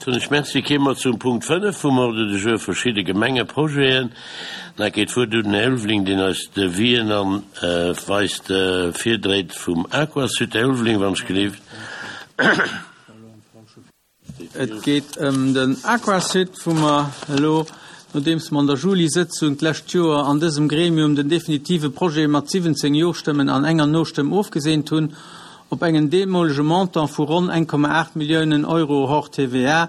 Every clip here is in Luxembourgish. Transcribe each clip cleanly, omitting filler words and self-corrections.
Soen ech Merci. Kéime mer zum Punkt 5 vum Ordre du jour, verschidde Gemengeprojeten. Da geet d'Wuert un den Här Ulveling, deen eis d'Devis'en an weist virdréit vum Aquasud. Här Ulveling, wann ech gelift. Et geet ëm den Aquasud, wou mer elo, nodeems mer an der Juli-Sëtzung d'lescht Joer an dësem Gremium den definitive Projet mat 17 Jo-Stëmmen an enger No-Stëmm ofgeseent hunn, op engen deemolege Montant vu ronn 1,8 Milliounen Euro hors TVA,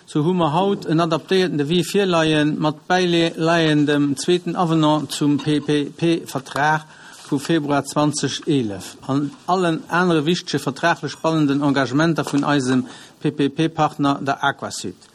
sou hu mer haut en adaptéierten Devis virleien, mat bäileiendem zweeten Avenant zum PPP-Vertrag vu Februar 2011 an allen anere wichtege vertraglech bannenden Engagementer vun eisem PPP-Partner, der Aquasud.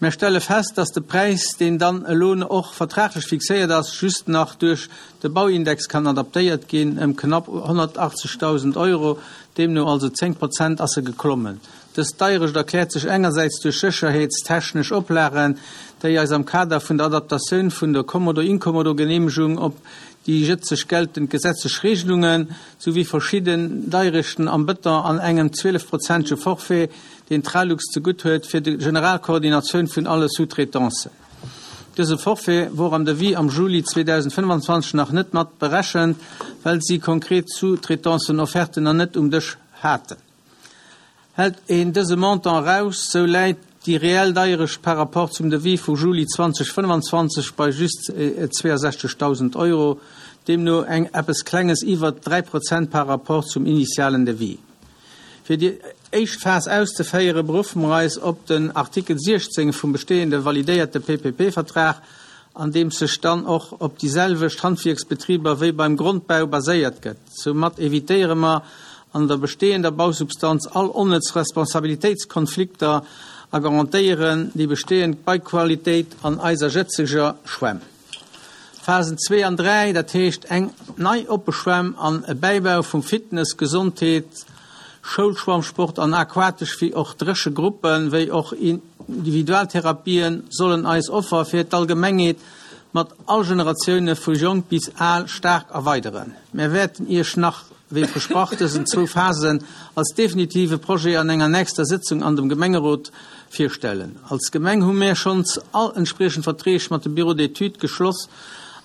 Mär stelle fest, dass de Präis, deen dann elo och vertraglech fixéiert ass, just nach duerch de Bauindex kann adaptéiert ginn, ëm knapp 180.000 Euro, deemno also 10 Prozent ass e geklommen. Dës Deierecht erkläert sech engersäits duerch sécherheetstechnesch Oplagen, déi eis am Kader vun der Adaptatioun vun der Kommodo-Inkommodo-Geneemegung op déi jëtzeg geltend gesetzlech Regelungen, souwéi verschidden Deierechten am Bëton an engem 12 prozentege Forfait, deen d'Tralux zegutt huet fir de general Koordinatioun vun alle Sous-traitancen. Dëse Forfait wor am Devis am Juli 2025 nach net mat berechent, well si konkret Sous-traitancen-Offerten nach net um Dësch haten. Hält een dëse Montant eraus, sou läit déi reell Deierecht par rapport zum Devis vu Juli 2025 bei just 62.000 Euro, deemno eng eppes Klenges iwwert 3 Prozent par rapport zum initialen Devis. Fir déi éischt Phas auszeféieren, beruffe mer eis op den Artikel 16 vum bestehende validéierte PPP-Vertrag, an deem sech dann och op déi selwecht Handwierksbetriber wéi beim Grondbau baséiert gëtt. Soumat evitéiere mer an der bestehender Bausubstanz all onnëtz Responsabilitéitskonflikter a garantéieren déi bestehend Bauqualitéit an eiser jëtzeger Schwämm. Phasen zwee an dräi, dat heescht eng nei oppe Schwämm an e Bäibau vum Fitness-, Gesondheets-, Schoulschwammsport an aquatesch wéi och dréche Gruppen, wéi och Individualtherapien sollen eis Offer fir d'Allgemengheet mat all Generatioune vu jonk bis al staark erweideren. Mär wäerten Iech nach, wéi versprach, dësen zwou Phasen als definitive Projet an enger nächster Sëtzung an dem Gemengerot virstellen. Als Gemeng hu mär schonns all entspriechend Verträg mat dem Bureau d'études geschloss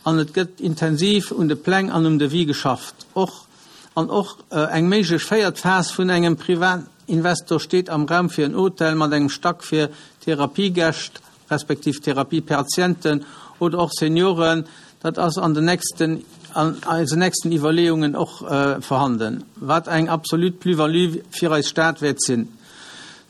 an et gëtt intensiv un de Pläng an um Devis geschafft. Och An och eng méiglech véiert Phas vun engem Privatinvestor steet am Raum fir en Hotel mat engem Stack fir Therapiegäscht respektiv Therapiepatienten oder och Senioren. Dat ass an den nächsten, an eisen nächsten Iwwerleeungen och vorhanden, wat eng absolut Plus-value fir eis Stad wäert sinn.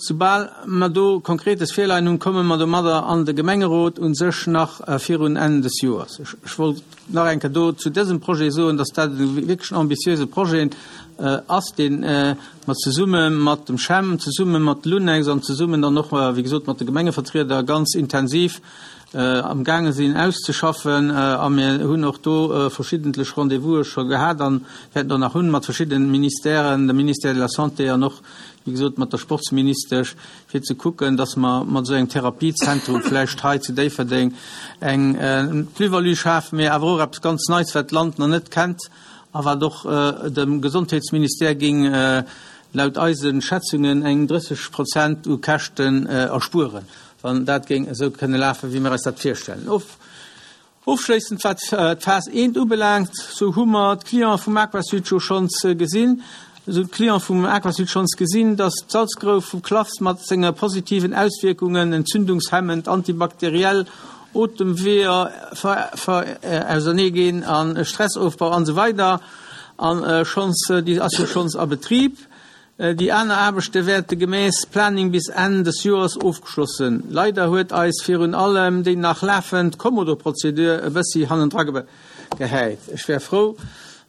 Soubal mer do Konkretes virleien hunn, komme mer domadder an de Gemengerot, u sech nach virun Enn des Joers. Ech wollt nach eng Kéier do zu dësem Projet soen, dass dat e wierklech ambitiöse Projet ass, dee mer zesumme mat dem CHEM, zesumme mat Lunex an zesummen dann och, wéi gesot, mat de Gemengevertrieder ganz intensiv amgaange sinn auszeschaffen. A mir hunn och do verschiddentlech Rendez-vouse scho gehat a wäerten der nach hunn mat verschiddene Ministèren, dem Ministère de la Santé an och, wéi gesot, mat der Sportsministesch, fir ze kucken, dass mer mat esou engem Therapiezentrum vläicht hei zu Déifferdeng eng Plus-value schafen, mee awer och eppes ganz Neits, wat d'Land nach net kennt a wat och dem Gesondheetsministère géing laut eise Schätzungen eng 30 Prozent u Käschten erspueren, wann dat géing esou kënne lafen, wéi mir eis dat virstellen. Ofschléissend wat d'Phas I ubelaangt, sou hu mer d'Cliente vum Aquasud jo schonns gesinn, sou d'Cliente vum Aquasud schonns gesinn, dass d'Salzgrouf vum Klafs mat senge positiven Auswierkungen, entzündungshemmend, antibakteriell, Otemweeër ausernee ginn a Stressofbau an esou weider a schonns, déi ass jo schonns a Betrib. Déi aner Aarbechte wäerte gemäss Planning bis Enn des Joers ofgeschloss sinn. Leider huet eis virun allem déi nach lafend Kommodo-Prozedur e bëssi hannendra gehäit. Ech wär frou,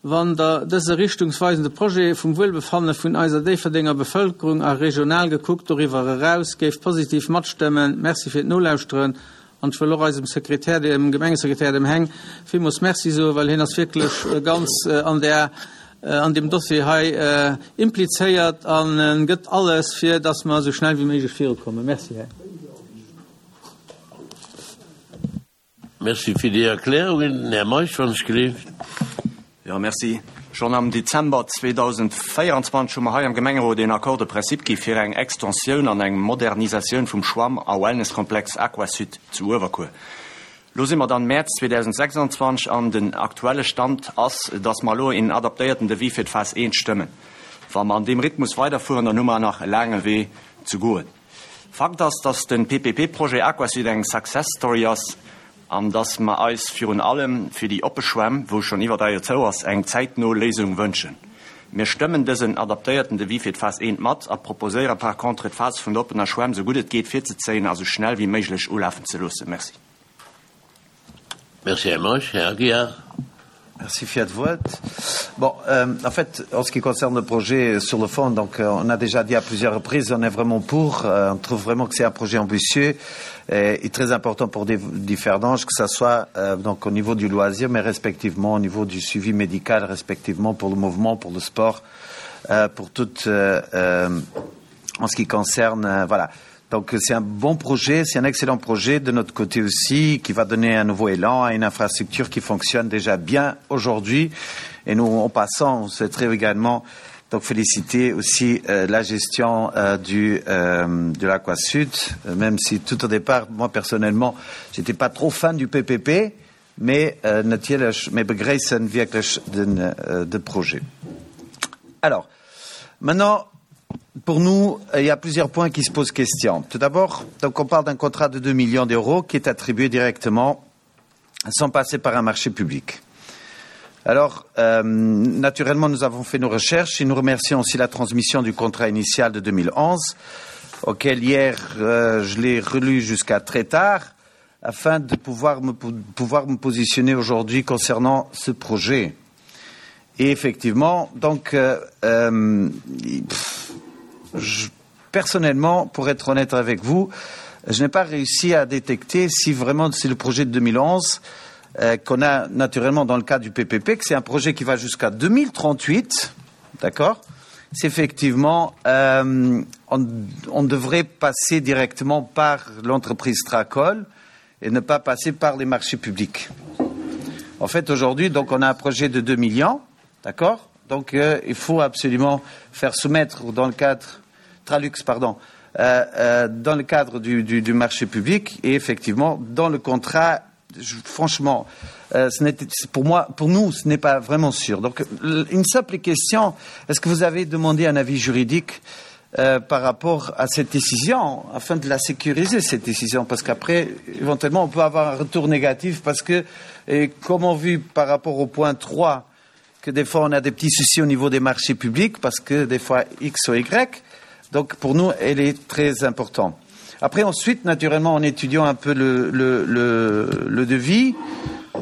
wann Der dëse richtungsweisende Projet vum Wuelbefanne vun eiser Déifferdenger Bevëlkerung a regional gekuckt doriwwer eraus géift positiv matstëmmen. Merci fir d'Nolauschteren An ech wëll och eisem Sekretär, dem Gemengesekretär, dem Heng, villmools Merci soen, well hien ass wierklech ganz an där, an deem Dossier hei implizéiert a gëtt alles, fir dass mer esou schnell wéi méiglech virukommen. Merci, Här. Merci fir déi Erklärungen. Den Här Meisch, wann ech gleeft. Jo, merci. Schonn am Dezember 2024 hu mer hei am Gemengerot een Accord de principe gi fir eng Extensioun an eng Modernisatioun vum Schwamm a Wellnesskomplex Aquasud zu Uewerkuer. Lo si mer dann Mäerz 2026 an den aktuelle Stand ass, dass mer elo een adaptéierten Devis fir d'Phas I stëmmen. Wa mer an deem Rhythmus weiderfueren, dann hu mer nach e laange Wee ze goen. Fakt ass, dass de PPP-Projet Aquasud eng Success Story ass an dass mer eis virun allem fir déi oppe Schwämm, wou schonn iwwer 3 Joer zou ass, eng zäitno Léisung wënschen. Mir stëmmen dësen adaptéierten Devis fir d'Phas I mat a proposéiere par contre, d'Phas vun der oppener Schwämm sou gutt et geet virzezéien a sou schnell wéi méiglech ulafen ze loossen. Merci. Merci, Här Meisch. Här Aguiar. Merci fir d'Wuert. Bon, euh, en fait, en ce qui concerne le projet sur le fond, donc euh, on a déjà dit à plusieurs reprises, on est vraiment pour. Euh, on trouve vraiment que c'est un projet ambitieux et, et très important pour des Differdange, que ce soit euh, donc au niveau du loisir, mais respectivement au niveau du suivi médical, respectivement pour le mouvement, pour le sport, euh, pour tout euh, euh, en ce qui concerne euh, voilà. Donc c'est un bon projet, c'est un excellent projet de notre côté aussi qui va donner un nouveau élan à une infrastructure qui fonctionne déjà bien aujourd'hui. Et nous, en passant, on souhaiterait également donc féliciter aussi euh, la gestion euh, du, euh, de l'Aquasud, euh, même si tout au départ, moi personnellement, j'étais pas trop fan du PPP, mais euh, natierlech, mir begréissen wierklech den, euh, de Projet. Alors, maintenant, pour nous, il y a plusieurs points qui se posent question. Tout d'abord, donc on parle d'un contrat de 2 millions d'euros qui est attribué directement sans passer par un marché public. Alors, euh, naturellement, nous avons fait nos recherches et nous remercions aussi la transmission du contrat initial de 2011, auquel hier, euh, je l'ai relu jusqu'à très tard, afin de pouvoir me, pouvoir me positionner aujourd'hui concernant ce projet. Et effectivement, donc, euh, euh, pff, je, personnellement, pour être honnête avec vous, je n'ai pas réussi à détecter si vraiment c'est le projet de 2011 euh, qu'on a naturellement dans le cadre du PPP, que c'est un projet qui va jusqu'à 2038, d'accord C'est effectivement, euh, on, on devrait passer directement par l'entreprise Tracol et ne pas passer par les marchés publics. En fait, aujourd'hui, donc, on a un projet de 2 millions, d'accord Donc, euh, il faut absolument faire soumettre dans le cadre Tralux, pardon, euh, euh, dans le cadre du, du, du marché public et effectivement dans le contrat je, franchement euh, ce pour moi pour nous ce n'est pas vraiment sûr donc une simple question est-ce que vous avez demandé un avis juridique euh, par rapport à cette décision afin de la sécuriser cette décision parce qu'après éventuellement on peut avoir un retour négatif parce que et comme on vu par rapport au point 3 que des fois on a des petits soucis au niveau des marchés publics parce que des fois X ou Y donc pour nous elle est très importante. Après ensuite naturellement en étudiant un peu le, le, le, le devis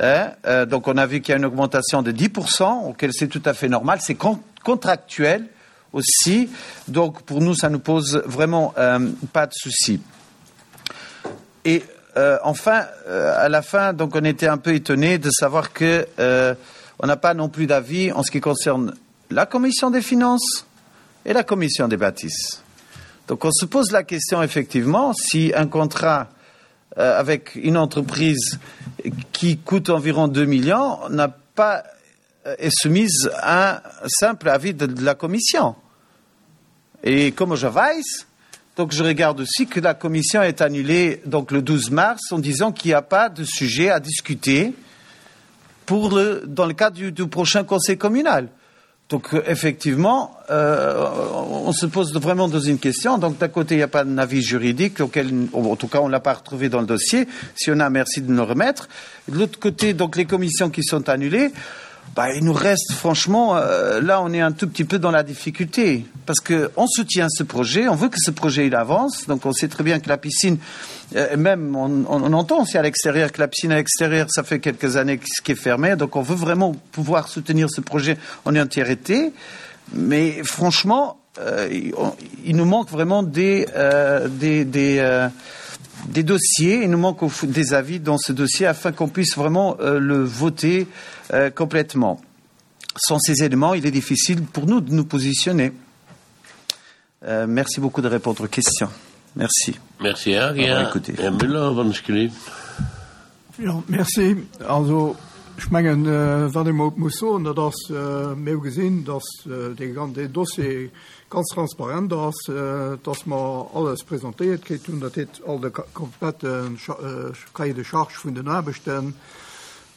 hein, euh, donc on a vu qu'il y a une augmentation de 10% auquel c'est tout à fait normal c'est con contractuel aussi donc pour nous ça nous pose vraiment euh, pas de souci. Et euh, enfin euh, à la fin donc on était un peu étonné de savoir que euh, on n'a pas non plus d'avis en ce qui concerne la commission des finances et la commission des bâtisses. Donc on se pose la question effectivement si un contrat euh, avec une entreprise qui coûte environ 2 millions n'a pas euh, est soumise à un simple avis de, de la commission. Et comme je vais, donc je regarde aussi que la commission est annulée donc le 12 mars en disant qu'il n'y a pas de sujet à discuter pour le, dans le cadre du, du prochain conseil communal. Donc euh, effectivement, euh, on se pose vraiment dans une question. Donc d'un côté, il n'y a pas d'avis juridique, auquel, en tout cas, on ne l'a pas retrouvé dans le dossier. Si on a, merci de nous remettre. De l'autre côté, donc les commissions qui sont annulées, bah, il nous reste franchement, euh, là, on est un tout petit peu dans la difficulté parce que on soutient ce projet, on veut que ce projet il avance. Donc on sait très bien que la piscine, euh, même on, on, on entend aussi à l'extérieur que la piscine à l'extérieur, ça fait quelques années ce qui est fermé. Donc on veut vraiment pouvoir soutenir ce projet en entièreté. Mais franchement, euh, il, on, il nous manque vraiment des, euh, des, des, euh, des dossiers, il nous manque des avis dans ce dossier afin qu'on puisse vraiment euh, le voter euh, complètement. Sans ces éléments, il est difficile pour nous de nous positionner. Euh, merci beaucoup de répondre aux questions. Merci. Merci Här Müller, wann ech gelift. Jo, merci. Also. Ech mengen, wat ee mol muss soen, dat ass, mir hu gesinn, datt dee ganzen Dossier ganz transparent ass, datt mer alles presentéiert kritt hunn, dat heet all de komplette Cahier de charges vun den Aarbechten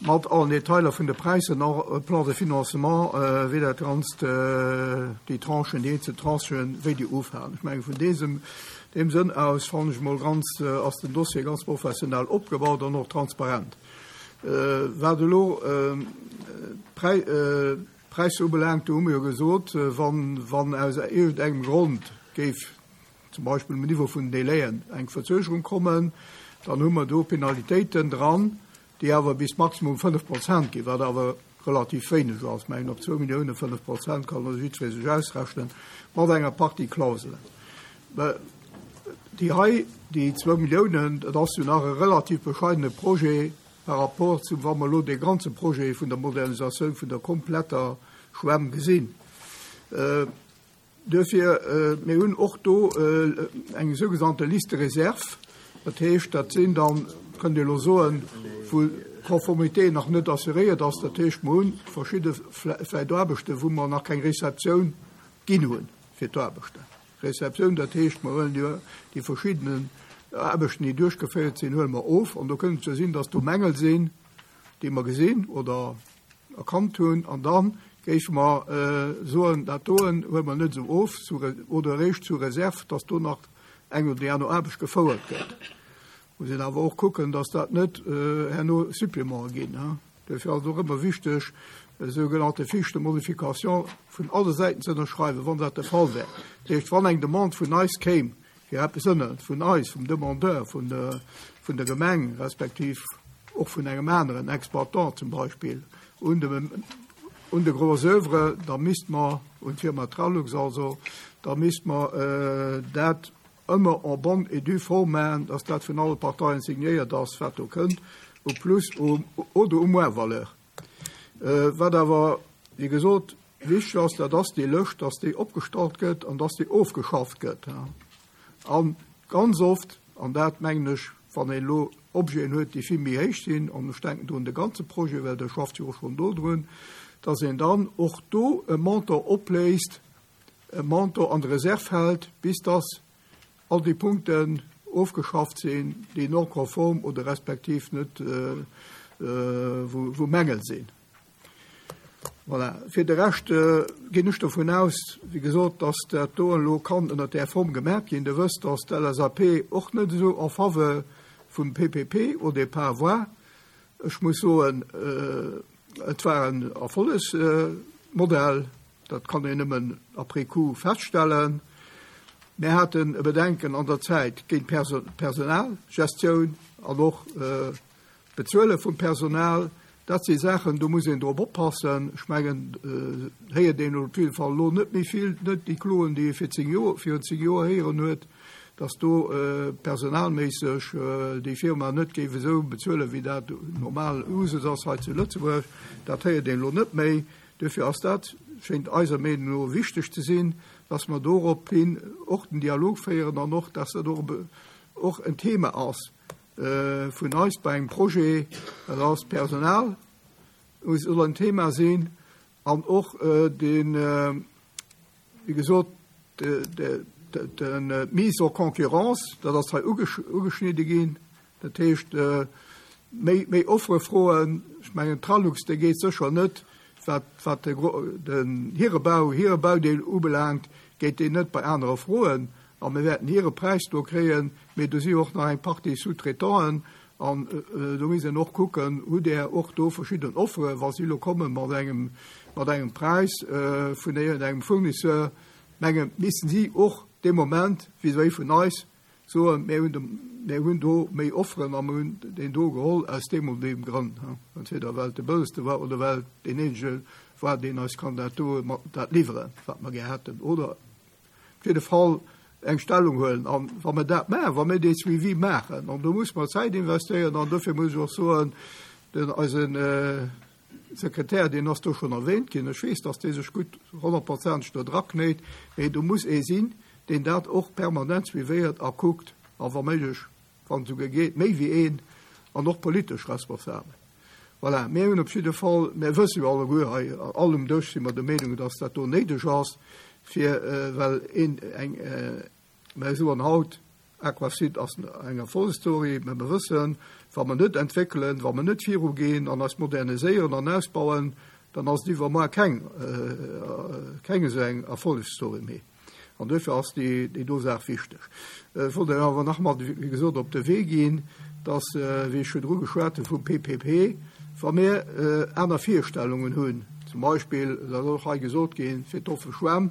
mat allen Detailer vun de Präisser, och e Plan de financement, wéi dat Ganzt, déi Tranchen, déi eenzel Tranchen, wéi déi ufalen. Ech mengen, vun deesem, deem Sënn aus fannen ech mol ganz, ass den Dossier ganz professionell opgebaut an och transparent. Wat elo d'Präisser ubelaangt, do hu mer jo gesot, wann aus iergendengem Grond géif zum Beispill um Niveau vun den Délaiën eng Verzögerung kommen, dann hu mer do Penalitéiten dran, déi awer bis maximum 5 Prozent ginn, wat awer relativ wéineg ass. Ech mengen, op zwou Milliounen 5 Prozent kann also jiddweree sech ausrechnen, mat enger Partie Klauselen. Déi hei, déi zwou Milliounen, dat ass jo nach e relativ bescheidene Projet par rapport zu, wa mer elo dee ganze Projet vun der Modernisatioun vun der kompletter Schwämm gesinn. Duerfir, mir hunn och do eng sougenannte Liste de réserve. Dat heescht, dat sinn dann, kënnt Dir elo soen, wou d'Conformité nach net assuréiert ass. Dat heescht, mer hu verschidde vläicht Aarbechten, wou mer nach keng Réceptioun ginn hunn fir d'Aarbechten. Réceptioun, dat heescht, mer huelen jo déi verschiddenen Aarbechten, déi duerchgeféiert sinn, huele mer of. An do kënnt et jo sinn, dass do Mängel sinn, déi mer gesinn oder erkannt hunn. An da géife mer soen, dat doen huele mer net esou of oder eréischt sous réserve, dass do nach eng oder déi aner Aarbecht gefouert gëtt. Muss een awer och kucken, dass dat net herno Supplémente ginn. Duerfir ass et och ëmmer wichteg, sougenannte Fiches de modification vun alle Säiten ze ënnerschreiwen, wann dat de Fall wär. Dat heescht, wann eng Demande vun eis kéim, fir eppes ënner, vun eis, vum Demandeur, vun vun der Gemeng respektiv och vun engem aneren Exploitant zum Beispill, un de, un de Gros oeuvre, da misst mer, un d'Firma Tralux also, da misst mer dat ëmmer en bonne et due forme maachen, dass dat vun alle Parteien signéiert ass, wat do kënnt, au plus oder au moins valeur. Wat awer, wéi gesot, wichteg ass, dat ass déi Lëscht, dass déi opgestallt gëtt an dass déi ofgeschafft gëtt. A ganz oft, an dat mengen ech, wann een elo Objeten huet, déi vill méi héich sinn, an ech denken do un de ganze Projet, well Der schafft jo och schonn do drun, dass een dann och do e Montant opléist, e Montant an der Reserv hält, bis dass all déi Punkten ofgeschafft sinn, déi non conforme oder respektiv net, wou Mängel sinn. Voilà. Fir de Rescht ginn ech dovun aus, wéi gesot, dass dat do elo kann ënnert där Form gemaach ginn. Der wësst, dass d'LSAP och net esou en faveur vum PPP au départ war. Ech muss soen, et war en Erfollegsmodell. Dat kann een nëmmen après coup feststellen. Mir haten e Bedenken an der Zäit géint d'Personalgestioun an och d'Bezuele vum Personal. Dat si Saachen, do muss een drop oppassen. Ech mengen, héiert een op jidde Fall elo net méi vill, net déi Kloen, déi ee fir 10 Joer, virun 10 Joer héieren huet, datt do personalméisseg déi Firma net géif esou bezuelen, wéi dat normal Usus ass hei zu Lëtzebuerg. Dat héiert een elo net méi. Duerfir ass dat, schéngt eiser Meenung no, wichteg ze sinn, dass mer dorophin och den Dialog féieren an och, dass dat och en Thema ass vun eis bei engem Projet, dat ass d'Personal soll en Thema sinn an och den, Wéi gesot, d'Mise en concurrence, dat ass hei ugeschnidde ginn. Dat heescht, méi Offere froen. Ech mengen, d'Tralux, déi geet sécher net, wat den hire Bau, hire Baudeel ubelaangt, geet déi net bei anere froen. A mir wäerten hire Präis do kréien. Mee do si jo och nach eng Partie Sous-traitanten. An do misst een och kucken, hutt Der och do verschidden Offeren, wa si elo komme mat engem, mat engem Präis vun iergendengem Fournisseur, mengen, missten si och dee Moment vis-à-vis vun eis soen, mir hunn de, mir hunn do méi Offeren a mir hunn deen do geholl aus deem oder deem Grënn, entweder well et de bëllegste war oder well et deen eenzege war, deen eis kann dat do mat dat liwweren, wat mer gär hätten, oder op jidde Fall eng Stellung huelen. An wa mer dat maachen, wa mir dee Suivi maachen, an do muss mer Zäit investéieren, an dofir muss ech och soen, den eisen Sekretär, deen ass do schonn erwähnt ginn, ech weess, datt dee sech gutt honnertprozenteg do draknéit, mee do muss ee sinn, deen dat och permanent suivéiert a kuckt, a wa méiglech, wann et esouguer geet, méi wéi een, an och politesch responsabel. Voilà, mir hunn op jidde Fall, mir wësse jo alleguer hei, all um Dësch si mer der Meenung, dass dat do néideg ass, fir, well een, eng, mer soen haut, Aquasud ass eng Erfolgsstory, mä mer wëssen, wa mer net entwéckelen, wa mer net virugeen an eis moderniséieren an ausbauen, dann ass et iwwermuer keng, keng esou eng Erfolgsstory méi. An duerfir ass déi, déi do Saach wichteg. Ech wollt Iech awer nach mat, wéi gesot, op de Wee ginn, dass, wéi ech virdru geschwat hu vum PPP, wa mir aner Virstellungen hunn, zum Beispill, dat ass och hei gesot ginn, fir d'offe Schwämm,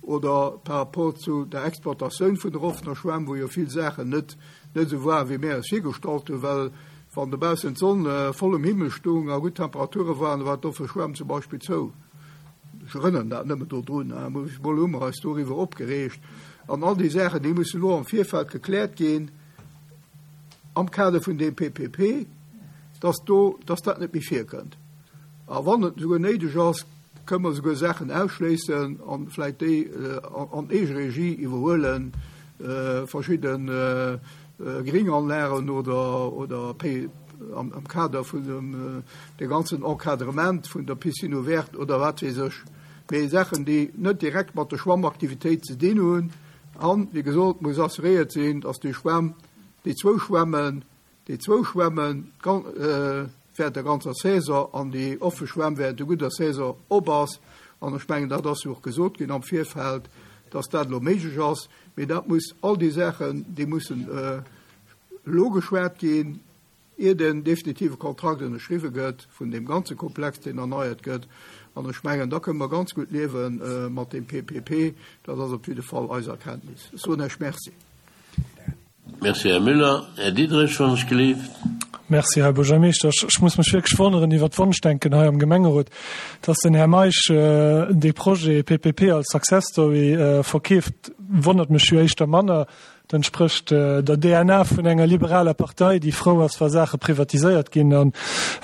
oder par rapport zu der Exploitatioun vun der offener Schwämm, wou jo vill Saachen net net esou waren, wéi mir eis virgestallt hunn, well wann dobaussen d'Sonn voll um Himmel stoung a gutt Temperature waren, da war d'offe Schwämm zum Beispill zou. Ech erënneren dat nëmmen dodrun. Mol hu mer eis doriwwer opgereegt. An all déi Saachen, déi mussen elo am Virfeld gekläert ginn am Kader vun deem PPP, dass do, dass dat net méi virkënnt. A wann et esouguer néideg ass, Kënne mer esouguer Saachen ausschléissen an vläit déi an Eegeregie iwwerhuelen, verschidde Gringanlagen oder oder am Kader vun dem de ganzen Encadrement vun der Piscine ouverte oder wat weess ech. Mee Saachen, déi net direkt mat der Schwammaktivitéit ze dinn hunn. An, wéi gesot, muss assuréiert sinn, dass déi Schwämm, déi zwou Schwämmen, Déi zwou Schwämme während der ganzer Saison an déi offe Schwämm während der gudder Saison op ass. An ech mengen, dat ass jo och gesot ginn am Virfeld, dass dat elo méiglech ass. Mee dat muss, all déi Saachen, déi mussen elo geschwat ginn, ier den definitive Kontrakt ënnerschriwwe gëtt vun deem ganze Komplex, deen erneiert gëtt. An ech mengen, da kënne mer ganz gutt liewe mat deem PPP. Dat ass op jidde Fall eis Erkenntnis. Ech soen Iech Merci. Merci, Här Müller. Här Diderich, wann ech gelift. Merci, Här Buergermeeschter. Ech muss mech wierklech wonneren iwwert d'Wonschdenken hei am Gemengerot, dass den Här Meisch dee Projet PPP als Success Story verkeeft, wonnert mech jo éischter manner. Dat entsprécht der DNA vun enger liberaler Partei, déi frou ass, wa Saache privatiséiert ginn an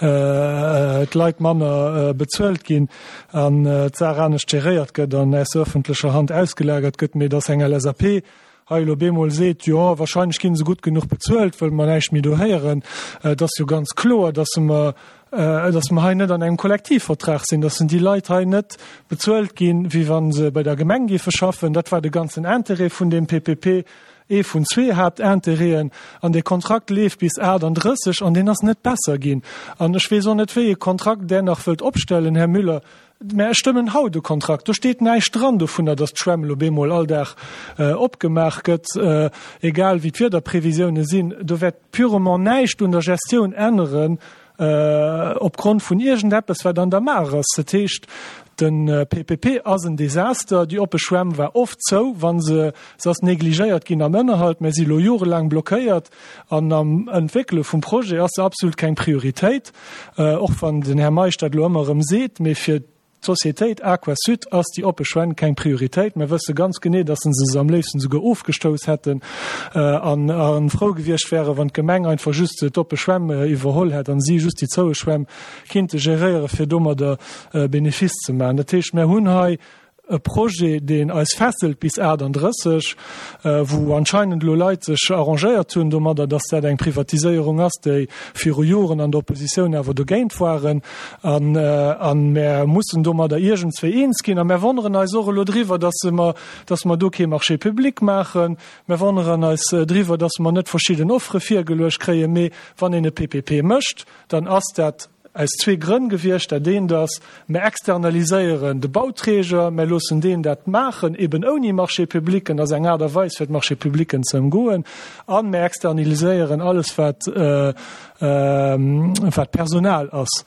d'Leit manner bezuelt ginn an d'Saach anescht geréiert gëtt an aus der öffentlecher Hand ausgelagert gëtt. Mee dass eng LSAP hei elo bemol seet, jo, wahrscheinlech ginn se gutt genuch bezuelt, wëll mer näischt méi do héieren, et ass jo ganz kloer, dass mer, dass mer hei net an engem Kollektivvertrag sinn, dass déi Leit hei net bezuelt ginn, wéi wa se bei der Gemeng géife schaffen. Dat war de ganzen Intérêt vun deem PPP, ee vun zwee Haaptintérêten. An dee Kontrakt leeft bis 38 an deen ass net besser ginn. An ech weess och net, wéi ee Kontrakt Der nach wëllt opstellen, Här Müller. Mä ech stëmmen haut e Kontrakt, do steet näischt dran dovunner, datt d'Schwämm elo bemol all Dag opgemaach gëtt, egal wéi d'Wiederprevisioune sinn. Do wäert purement näischt un der Gestioun änneren opgrond vun iergendeppes, wat an der Maach ass. Dat heescht, de PPP ass en Desaster. Déi oppe Schwämm war oft zou, wa se, se ass negligéiert ginn am Ënnerhalt. Mä si elo jorelaang blockéiert. An am Entwéckele vum Projet ass se absolut keng Prioritéit, och wann den Här Meisch dat elo ëmmer erëm seet. Mee fir d'Sociétéit Aquasud ass déi oppe Schwämm keng Prioritéit. Mir wësse ganz genee, dass se se am léifsten esouguer ofgestouss hätten a frou gewiescht wären, wann d'Gemeng einfach just d'oppe Schwämm iwwerholl hätt a si just déi zoue Schwämm kinnte geréieren, fir domadder Benefice ze maachen. Dat heescht, mir hunn hei e Projet, deen eis fesselt bis 38, wou anscheinend elo Leit sech arrangéiert hunn domadder, dass dat eng Privatiséierung ass, déi viru Joren an der Oppositioun awer dogéint waren. An mär mussen domadder iergendswéi eens ginn. A mär wonneren eis och elo driwwer, dass mer, dass mer do kee Marché public maachen. Mär wonneren eis driwwer, dass mer net verschidden Offere virgeluecht kréien. Mee wann een e PPP mécht, dann ass dat Aus zwee Grënn gewiescht. Dat eent ass, mer externaliséieren de Bauträger, mer loossen deen dat maachen, eben ouni Marché-publicken, dat ass eng Aart a Weis fir d'Marché-publicken ze ëmgoen, a mer externaliséieren alles wat wat Personal ass.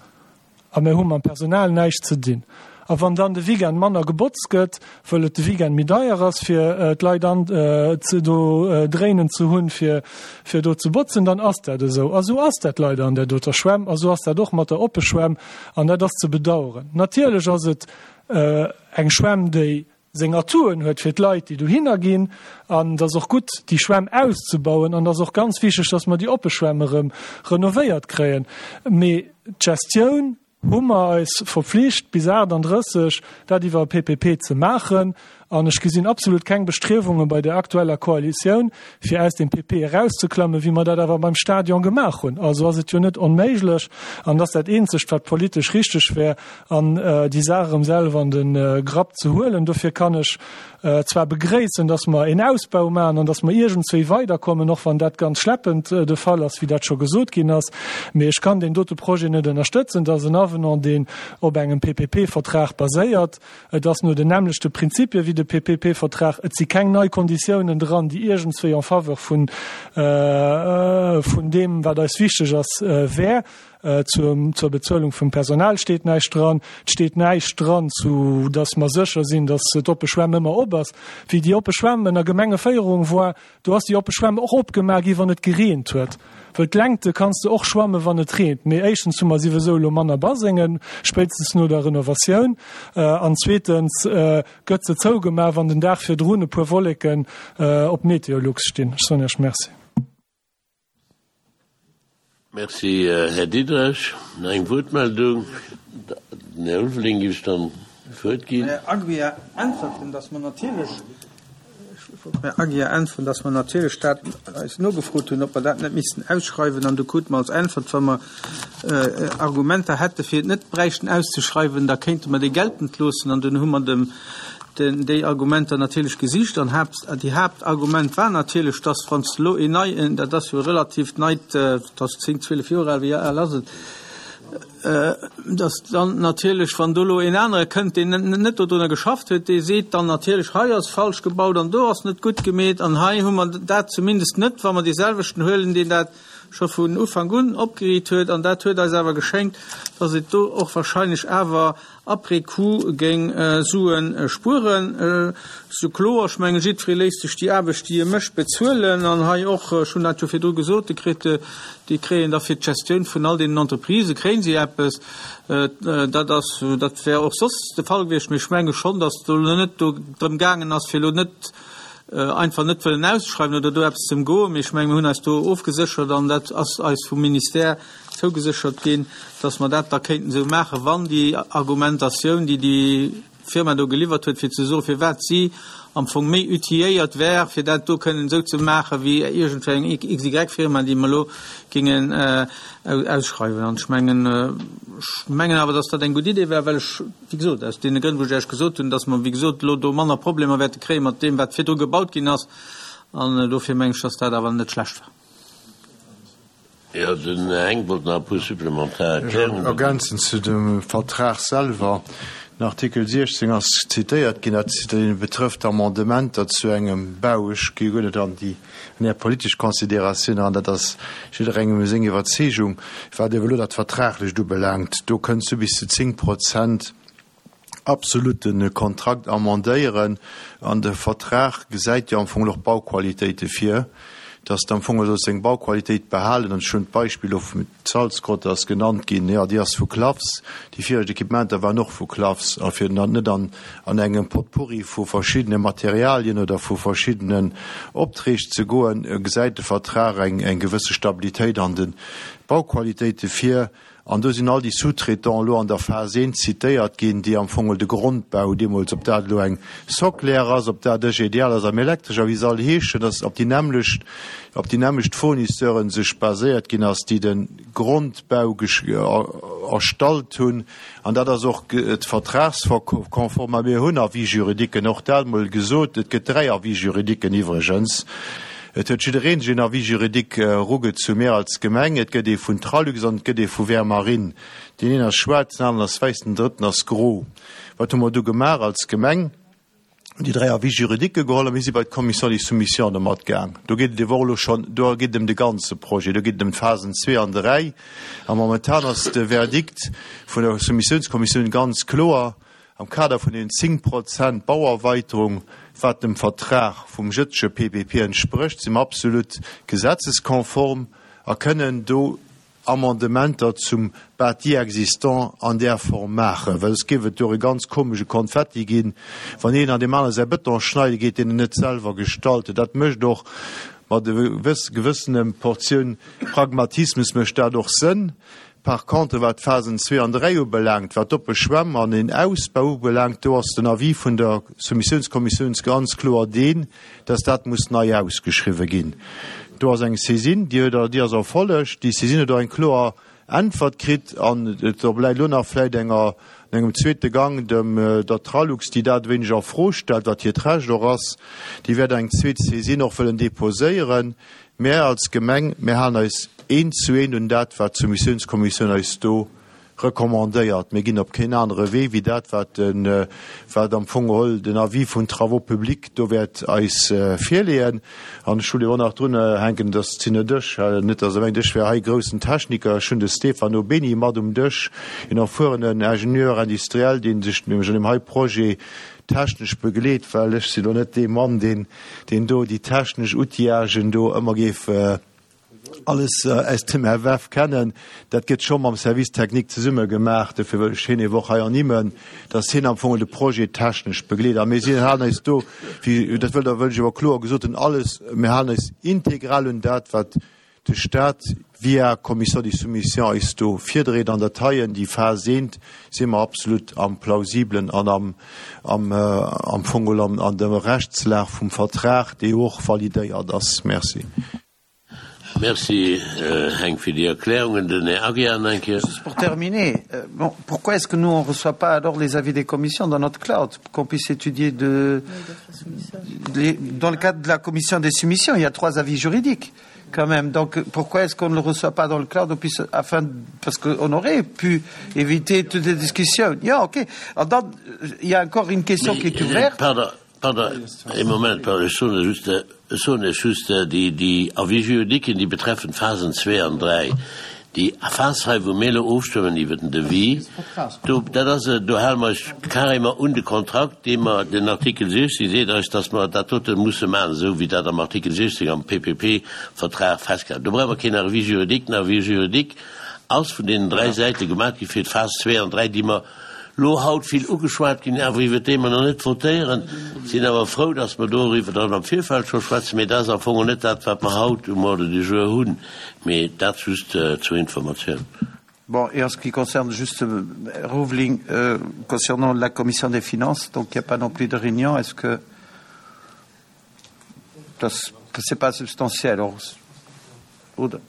A mer hu mam Personal näischt ze dinn. A wann dann de Weekend manner gebotzt gëtt, wëll et de Weekend méi deier ass fir d'Leit an ze do dréinen ze hunn, fir fir do ze botzen, dann ass dat esou. A sou ass dat leider an där doter Schwämm a sou ass dat och mat der oppe Schwämm an dat ass ze bedauern. Natierlech ass et eng Schwämm, déi seng Atouen huet fir d'Leit, déi dohinner ginn an et ass och gutt, déi Schwämm auszebauen an et ass och ganz wichteg, dass mer déi oppe Schwämm erëm renovéiert kréien. Mee d'Gestioun, hu mer eis verpflicht bis 38 dat iwwer e PPP ze maachen. An ech gesinn absolut keng Bestriewunge bei der aktueller Koalitioun, fir aus dem PP erauszeklammen, wéi mer dat awer beim Stadion gemaach hunn. Also ass et jo net onméiglech, an et ass dat Eenzegt, wat politesch richteg wär, an déi Saach erëm selwer an de Grapp ze huelen. Dofir kann ech zwar begréissen, dass mer een Ausbau maachen an dass mer iergendswéi weiderkommen, och wann dat ganz schleppend de Fall ass, wéi dat scho gesot ginn ass, mee ech kann deen dote Projet net ënnerstëtzen. Dat ass en Avenant, deen op engem PPP-Vertrag baséiert. Et ass no den nämmlechte Prinzipie wéi de PPP-Vertrag. Et si keng nei Konditiounen dran, déi iergendswéi en faveur vun, vun deem, wat eis wichteg ass, wär. Zur, zur Bezuelung vum Personal steet näischt dran. Et steet näischt dran zu, dass mer sécher sinn, dass d'oppe Schwämm ëmmer op ass. Wéi déi oppe Schwämm ënner Gemengeféierung war, Do ass déi oppe Schwämm och opgemaach gi wann et gereent huet, wëll d'Längte kanns de och schwamme wann et reent. Mee éischtens hu mer siwesou elo manner Basengen, spéitstens no der Renovatioun, an zweetens gëtt se zougemaach wann den Dag virdrun e puer Wolleken op Meteolux stinn. Ech soen Iech Merci. Merci, Här Diderich. Nach eng Wuertmeldung? Den Här Ulveling géif ech dann d'Wuert ginn. Här Aguiar äntwerten, dass mer natierlech, ech wollt dem Här Aguiar äntweren, dass mer natierlech dat eis nogefrot hunn, ob mer dat net missten ausschreiwen. An du krute mer als Äntwert, wa mer Argumenter hätte fir et net bräichten auszeschreiwen, da kéinte mer déi geltend loossen. An dunn hu mer dem den déi Argumenter natierlech gesicht an Haapt, déi Haaptargument war natierlech, dass wann s de elo een neien, dat ass jo e relativt neit, dat ass 10, 12 Joer al, wéi al ass et, dass dann natierlech, wann do elo een anere kënnt, deen net dodrunner geschafft huet, dee seet dann natierlech, hei ass falsch gebaut an do ass net gutt gemeet an hei hu mer dat zumindest net, wa mer deeselwechten huelen, deen dat scho vun Ufank un opgeriit huet. An dat huet eis awer geschéngt, dass et do och wahrscheinlech awer Après coup géing Suen spueren. Sou kloer, ech mengen, jiddweree léisst sech déi Aarbecht, déi e mécht, bezuelen. An hei och, ech hunn dat jo virdru gesot, de kritt, déi kréien da fir d'Gestioun vun all deenen Entreprisë kréien si eppes. Dat ass, dat wär och soss de Fall gewiescht. Mee ech menge schonn, datt et elo net do drëm gaangen ass, fir elo net einfach net wëllen auszeschreiwen oder do eppes ze ëmgoen. Mee ech menge mir hunn eis do ofgeséchert an dat ass eis vum Ministère zougeséchert ginn, dass mer dat da kéinten esou maachen, wann déi Argumentatioun, déi déi Firma do geliwwert huet, fir ze soen, firwat si am Fong méi outilléiert wär, fir dat do kënnen esou ze maachen, wéi iergendwéi eng XY-Firma, déi mer elo géingen ausschreiwen. An ech mengen, ech mengen awer, dass dat eng gutt Idee wär, well ech, wéi gesot, aus deene Grënn, wou ech Iech gesot hunn, dass mer, wéi gesot, elo do manner Problemer wäerte kréie mat deem, wat virdru gebaut ginn ass. An dofir mengen ech, dass dat awer net schlecht war. Jo, den Här Henck wollt nach e puer supplementar Erklärungen. Ergänzend zu dem Vertrag selwer, Den Artikel 16 ass zitéiert ginn, dat betrëfft Amendementer zu engem Bau. Ech gi guer net an déi an Är politesch Considératioun eran, dat ass jidderengem seng Iwwerzeegung. Wat ewell elo dat Vertraglecht ubelaangt, do kënns du bis zu 10 Prozent absolut de Kontrakt amendéieren an de Vertrag gesäit jo am Fong och Bauqualitéite vir, dass de am Fong sollst deng Bauqualitéit behalen. An ech hunn d'Beispill och vum d'Salzgrotte ass genannt ginn, jo déi ass vu Klafs, déi viregt Equipementer waren och vu Klafs. A fir dann net an an engem Potpourri vu verschiddene Materialien oder vu verschiddenen Opträg ze goen, gesäit de Vertrag eng eng gewësse Stabilitéit an de Bauqualitéite vir. An do sinn all déi Sous-traitants elo an der Phas I zitéiert ginn, déi am Fong de Grondbau deemools, ob dat elo eng Soclair ass, ob dat EGDL ass am Elektresch a wéi se all heeschen, dass op déi nämmlecht, op déi nämmlecht Fournisseuren sech baséiert ginn ass, déi de Grondbau erstallt hunn. An dat ass och vertragskonform. A mir hunn Avis-juridiquen, och dat emol gesot. Et gëtt 3 Avis-juridiquen iwwregens. Et huet jiddereen sech een Avis juridique erugezu, mir als Gemeng, et gëtt ee vun Tralux an et gëtt ee vu Vermarine. Deen een ass schwaarz, den aneren ass wäiss, den drëtten ass gro. Wat hu mer du gemaach als Gemeng? Déi 3 Avis juridiquë geholl a mir si bei d'Commission des soumissions domat gaang. Do geet et ewer och elo schonn, do geet et ëm de ganze Projet, do geet et ëm d'Phasen zwee an dräi. A momentan ass de Verdikt vun der Soumissiounskommissioun ganz kloer, Am Kader vun den 10 Prozent Bauerweiterung, wat dem Vertrag vum jëtzege PPP entsprécht, si mer absolut gesetzeskonform a kënnen do Amendementer zum Bâti existant an där Form maachen, well soss géif et do e ganz komesche Konfetti ginn, wann een an deem anere säi Bëton schneide geet, deen en net selwer gestallt huet. Dat mécht och mat e gewëssenem Portioun Pragmatismus mécht dat och Sënn. Par contre, wat d'Phasen 2 an 3 ubelaangt, wat d'oppe Schwämm an den Ausbau ubelaangt, do ass den Avis vun der Soumissiounskommissioun ganz kloer deen, dass dat muss nei ausgeschriwwen ginn. Do ass eng Saisine, déi huet, déi ass erfollegt. Déi Saisine huet och eng kloer Äntwert kritt an et obläit elo nach vläicht enger, an engem zweete Gang dem, der Tralux, déi dat e wéineg a Fro stellt, wat hiert Recht och ass, déi wäert eng zweet Saisine och wëllen deposéieren. Mär als Gemeng, mär halen eis eent zu eent un dat, wat d'Soumissiounskommissioun eis do recommandéiert. Mir ginn op keen anere Wee wéi dat, wat de, wat am Fong geholl den Avis vun Travaux publics do wäert eis virleeën. An ech wëll jo och nach drun hänken, dass sinn net ech, net dass Der mengt, ech wär hei groussen Techniker, ech hunn de Stefano Beni mat um Dësch, een erfuerenen Ingénieur industriel, dee sech nämlech an deem hei Projet technesch begleet, well ech sinn elo net dee Mann, deen, deen do déi technesch Outillagen do ëmmer géif alles aus dem FF kennen. Dat gëtt scho mam Service technique zesumme gemaach. Dofir wëll ech hien ewer och hei ernimmen, dass hien am Fong de Projet technesch begleet. A mir sinn, halen eis do, wéi, dat wëll, da wëll ech ewer kloer gesot hunn, alles, mir halen eis integral un dat, wat de Stat via Commission des soumissions eis do virdréit. An dat heien, déi Phas eent, si mer absolut am Plausiblen an am, am, am Fong geholl an, an der Rechtslag vum Vertrag, dee jo och validéiert ass. Merci. Merci Heng fir déi Erklärungen. Den Här Aguiar nach eng Kéier. Juste pour terminer, bon, pourquoi est-ce que nous on reçoit pas alors les avis des commissions dans notre cloud pour qu'on puisse étudier de, les, dans le cadre de la commission des soumissions, il y a trois avis juridiques quand même. Donc pourquoi est-ce qu'on ne le reçoit pas dans le cloud on puisse, afin, parce qu'on aurait pu éviter toutes les discussions. Ja, ok. Alors, il y a encore une question Mais, qui est ouverte. Pardon. Pardon, ee Moment, pardon, ech soen just, ech soen lech just, déi, déi Avis juridiquen, déi betreffen d'Phasen 2 an 3. Déi Phas hei, wou mir elo ofstëmmen iwwert den Devis, do, dat ass, do hale mer eis carrément un de Kontrakt, dee mer, den Artikel 16 seet eis, dass mer dat dote musse maachen, esou wéi dat am Artikel 16 am PPP-Vertrag festgehalen. Do brauche mer keen Avis juridique. Den Avis juridique ass vun deenen dräi Säite gemaach gi fir d'Phas 2 an 3, déi mer Lo haut vill ugeschwat ginn, awer iwwert déi mer nach net votéieren. Sinn awer frou, dass mer doriwwer dann am Virfeld scho schwätzen, mee dat ass am Fong och net dat, wat mer haut um Ordre du jour hunn. Mee dat just zur Informatioun. Bon, et en ce qui concerne juste Rouveling, concernant la commission des finances, donc il n'y a pas non plus de réunion, est-ce que das, c'est pas substantiel, oder?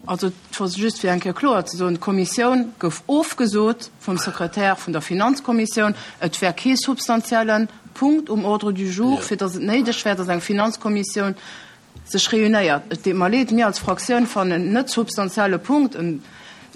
Also, just fir eng Kéier kloer ze soen, D'Kommissioun gouf ofgesot vum Sekretär vun der Finanzkommissioun. Et wär kee substantielle Punkt um Ordre du jour, fir datt et néideg wär, datt eng Finanzkommissioun sech réunéiert. Et deet mer leed, mir als Fraktioun fannen net substantielle Punkt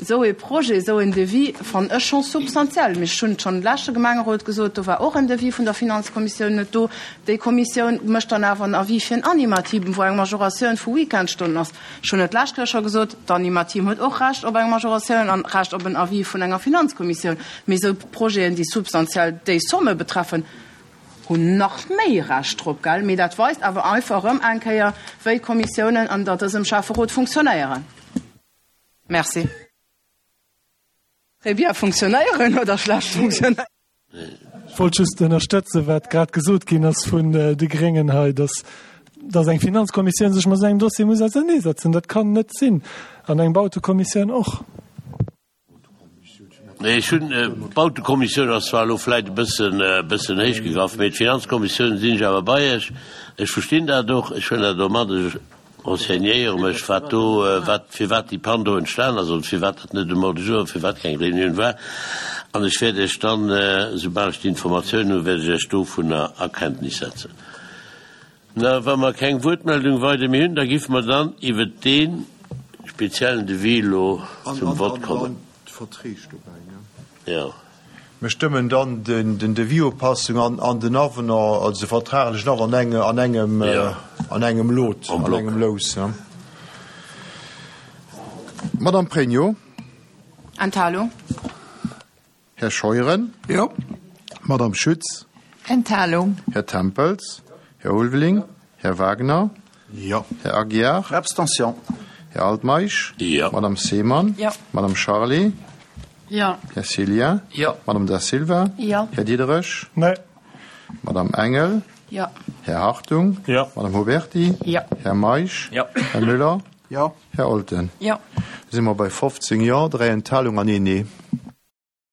esou ee Projet, esou een Devis fannen ech scho substantiell. Mee ech hunn et schonn de leschte Gemengerot gesot, do war och en Devis vun der Finanzkommissioun net do. Déi Kommissioun mécht dann awer en Avis fir en Animateam, wou eng Majoratioun vu Weekendstonnen ass. Ech hunn et d'lescht Kéier scho gesot, d'Animateam huet och Recht op eng Majoratioun an Recht op en Avis vun enger Finanzkommissioun. Mee esou Projeten, déi substantiell déi Somme betreffen, hunn nach méi Recht drop, gell? Mee dat weist awer einfach erëm eng Kéier, wéi d'Kommissiounen an der dësem Schäfferot funktionéieren. Merci. Très bien funktionéieren oder schlecht funktionéieren. Ech wollt just ënnerstëtzen, wat grad gesot ginn ass vun de Gréngen hei, dass, dass eng Finanzkommissioun sech mat esou engem Dossier muss auserneesetzen. Dat kann net sinn. An eng Bautekommissioun och. Nee, ech hunn, d'Bautekommissioun ass zwar elo vläicht e bëssen, e bëssen héich gegraff, mee d'Finanzkommissioun sinn ech awer bei Iech. Ech verstinn dat och, ech huelen dat och mat. Ech renseignéiere mech, wat do, wat, firwat déi Pann do entstan ass oder firwat dat net um Ordre du jour, firwat keng Reunioun war. An ech wäert Iech dann, soubal ech déi Informatioun hunn, wäert ech Iech dovunner a Kenntnis setzen. Na, wa mer keng Wuertmeldung weider méi hunn, da giffe mer dann iwwert dee speziellen Devis elo zum Vott kommen. An d'Verträg dobäi, ne? Jo. Mir stëmmen dann den Devis-Upassung an den Avenant, also de vertraglechen Avenant an engem, an engem Lot, an engem Lous. Madame Pregno. Enthalung. Här Scheuren. Jo. Madame Schütz. Enthalung. Här Tempels. Här Ulveling. Här Wagner. Jo. Här Aguiar. Abstention. Här Altmeisch. Jo. Madame Seemann. Jo. Madame Charlé. Jo. Här Cillien. Jo. Madame Da Silva. Jo. Här Diderich. Nee. Madame Engel. Jo. Här Hartung. Jo. Madame Huberty. Jo. Här Meisch. Jo. Här Müller. Jo. Här Olten. Jo. Da si mer bei 15 Jo, 3 Enthalung an een Nee.